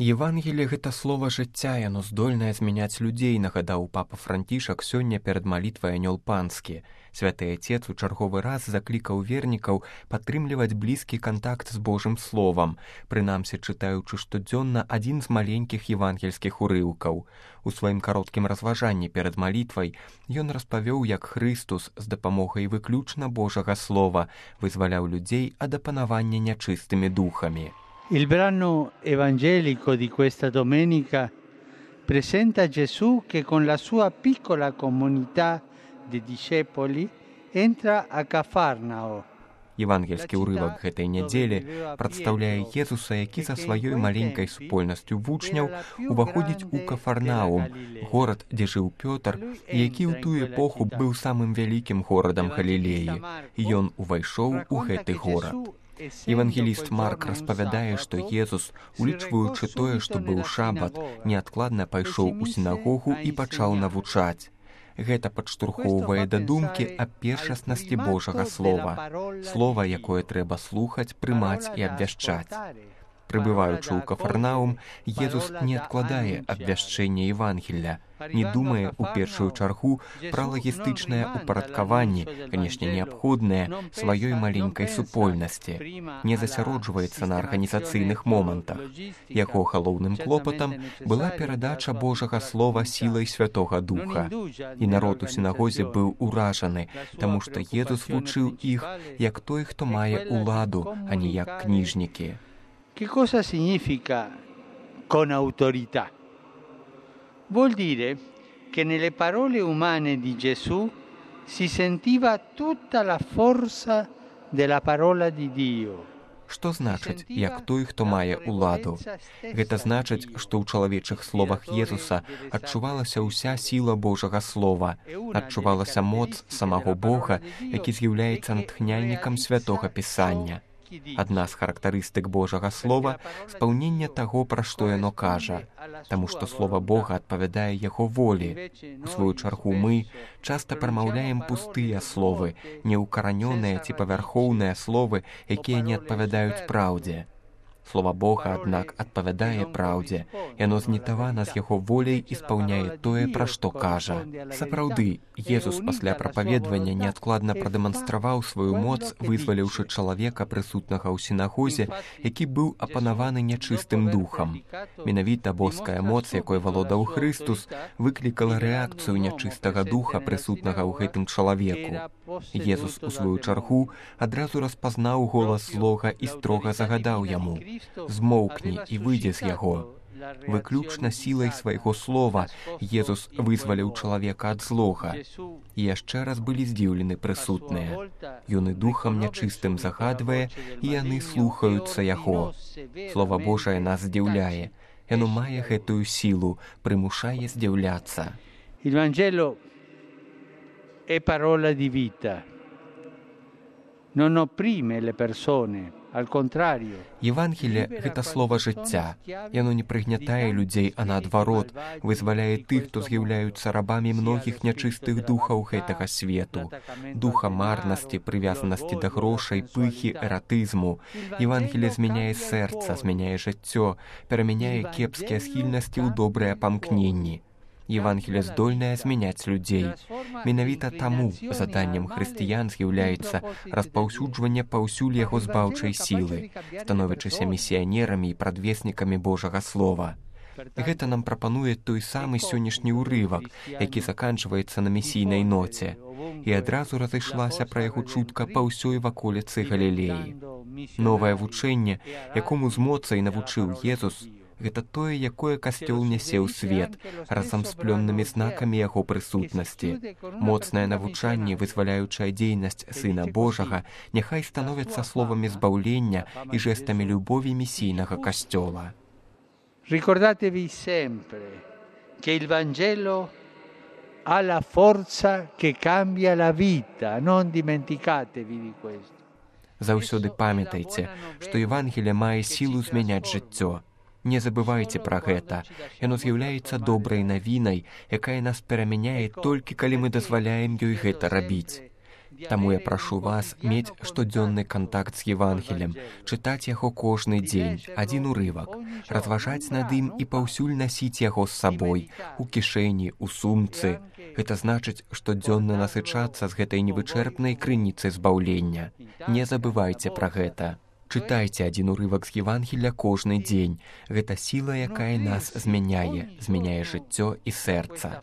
Евангелие — гэта слова жыцця, яно здольнае змяняць людзей, нагадаў папа Францішак сёння перад малітвай анёл панскі. Святы Отец у чарговы раз заклікаў вернікаў падтрымліваць блізкі кантакт з Божым словам, прынамсі чытаючы штодзённа адзін з маленькіх евангельскіх урыўкаў. У сваім кароткім разважанні перад малітвай ён распавёў, як Хрыстус з дапамогай выключна Божага слова вызваляў людзей ад апанавання нячыстымі духамі. Il brano evangelico di questa domenica presenta Gesù che con la sua piccola comunità di discepoli entra a Cafarnao. Евангельскі ўрывак гэтай нядзелі прадстаўляе Езуса, які са сваёй маленькай супольнасцю вучняў уваходзіць у Кафарнаум, горад, дзе жыў Пётр, і які ў тую эпоху быў самым вялікім горадам Галілеі. І ён увайшоў у гэты горад. Евангеліст Марк распавядае, што Езус, улічваючы тое, што быў шабат, неадкладна пайшоў у сінагогу і пачаў навучаць. Гэта падштурхоўвае да думкі аб першаснасці Божага слова. Слова, якое трэба слухаць, прымаць і абвяшчаць. Прыбываючы ў Кафарнаум, Езус не адкладае абвяшчэнне Евангелля, не думае ў першую чаргу пра лагістычнае ўпарадкаванне, канешне, неабходнае сваёй маленькай супольнасці, не засяроджваецца на арганізацыйных момантах. Яго галоўным клопатам была перадача Божага слова сілай Святога Духа. І народ у сінагозе быў уражаны, таму што Езус вучыў іх як той, хто мае ўладу, а не як кніжнікі. Che cosa significa con autorità? Vuol dire che nelle parole umane di Gesù si sentiva tutta la forza della parola di Dio. Што значыць, як той, хто мае ўладу? Гэта значыць, што ў чалавечых словах Езуса адчувалася ўся сіла Божага слова, адчувалася моц самого Бога, які з'яўляецца натхняльнікам Святога Пісання. Адна з характарыстык Божага слова — спаўненне таго, пра што яно кажа, таму што слова Бога адпавядае яго волі. У сваю чаргу мы часта прамаўляем пустыя словы, неўкаранёныя ці павярхоўныя словы, якія не адпавядаюць праўдзе. Слова Бога, аднак, адпавядае праўдзе. Яно знітавана з яго воляй і спаўняе тое, пра што кажа. Сапраўды, Езус пасля прапаведвання неадкладна прадэманстраваў сваю моц, вызваліўшы чалавека, прысутнага ў сінагозе, які быў апанаваны нячыстым духам. Менавіта боская моц, якой валодаў Хрыстус, выклікала рэакцыю нячыстага духа, прысутнага ў гэтым чалавеку. Езус, у сваю чаргу, адразу распазнаў голас злога і строга загадаў яму: «Змоўкні і выйдзе з яго». Выключна сілай свайго слова Езус вызваліў чалавека ад злога. І яшчэ раз былі здзіўлены прысутныя. Ён і духам нячыстым загадвае, і яны слухаюцца яго. Слова Божае нас здзіўляе. Яно мае гэтую сілу, прымушае здзіўляцца. Il Vangelo è parola di vita. Non opprime le persone. Евангелие — гэта слова жыцця. Яно не прыгнятае людзей, а наадварот, вызваляе тых, хто з'яўляюцца рабамі многіх нячыстых духаў гэтага свету. Духа марнасці, прывязанасці да грошай, пыхі, эратызму. Евангелие змяняе сэрца, змяняе жыццё, перамяняе кепскія схільнасці ў добрыя памкненні. Евангелие здольнае змяняць людзей. Менавіта таму заданнем хрысціян з'яўляецца распаўсюджванне паўсюль яго збаўчай сілы, становячыся місіянерамі і прадвеснікамі Божага слова. Гэта нам прапануе той самы сённяшні ўрывак, які заканчваецца на місійнай ноце. І адразу разышлася пра яго чутка па ўсёй ваколіцы Галілеі. Новае вучэнне, якому з моцай навучыў Езус, гэта тое, якое касцёл нясе ў свет, разам з плённымі знакамі яго прысутнасці. Моцнае навучанне, вызваляючая дзейнасць Сына Божага, няхай становяцца словамі збаўлення і жэстамі любові місійнага касцёла. Ricordatevi sempre che il Vangelo ha la forza che cambia la vita, non dimenticatevi di questo. Заўсёды памятайце, што Евангелие мае сілу змяняць жыццё. Не забывайце пра гэта. Яно з'яўляецца добрай навінай, якая нас перамяняе толькі калі мы дазваляем ёй гэта рабіць. Таму я прашу вас мець штодзённы кантакт з Евангелем, чытаць яго кожны дзень, адзін урывак, разважаць над ім і паўсюль насіць яго з сабой, у кішэні, у сумцы. Гэта значыць, штодзённа насычацца з гэтай невычэрпнай крыніцы збаўлення. Не забывайце пра гэта. Чытайце адзін урывак з Евангеля кожны дзень. Гэта сіла, якая нас змяняе жыццё і сэрца.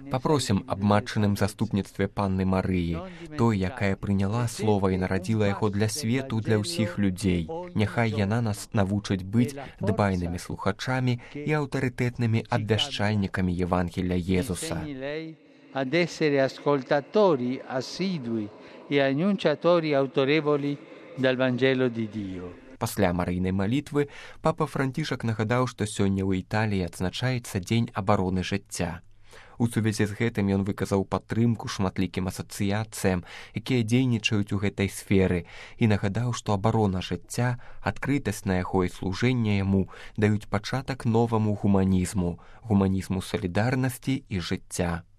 Папросім аб матчыным заступніцтве Панны Марыі, той, якая прыняла слова і нарадзіла яго для свету, для ўсіх людзей. Няхай яна нас навучыць быць дбайнымі слухачамі і аўтарытэтнымі абвяшчальнікамі Евангеля Езуса. Ad essere ascoltatori assidui e annunciatori autorevoli del Vangelo di Dio. Пасля марыйнай малітвы папа Францішак нагадаў, што сёння ў Італіі адзначаецца Дзень абароны жыцця. У сувязі з гэтым ён выказаў падтрымку шматлікім асацыяцыям, якія дзейнічаюць у гэтай сферы, і нагадаў, што абарона жыцця, адкрытасць на яго і служэнне яму даюць пачатак новаму гуманізму солідарнасці і жыцця.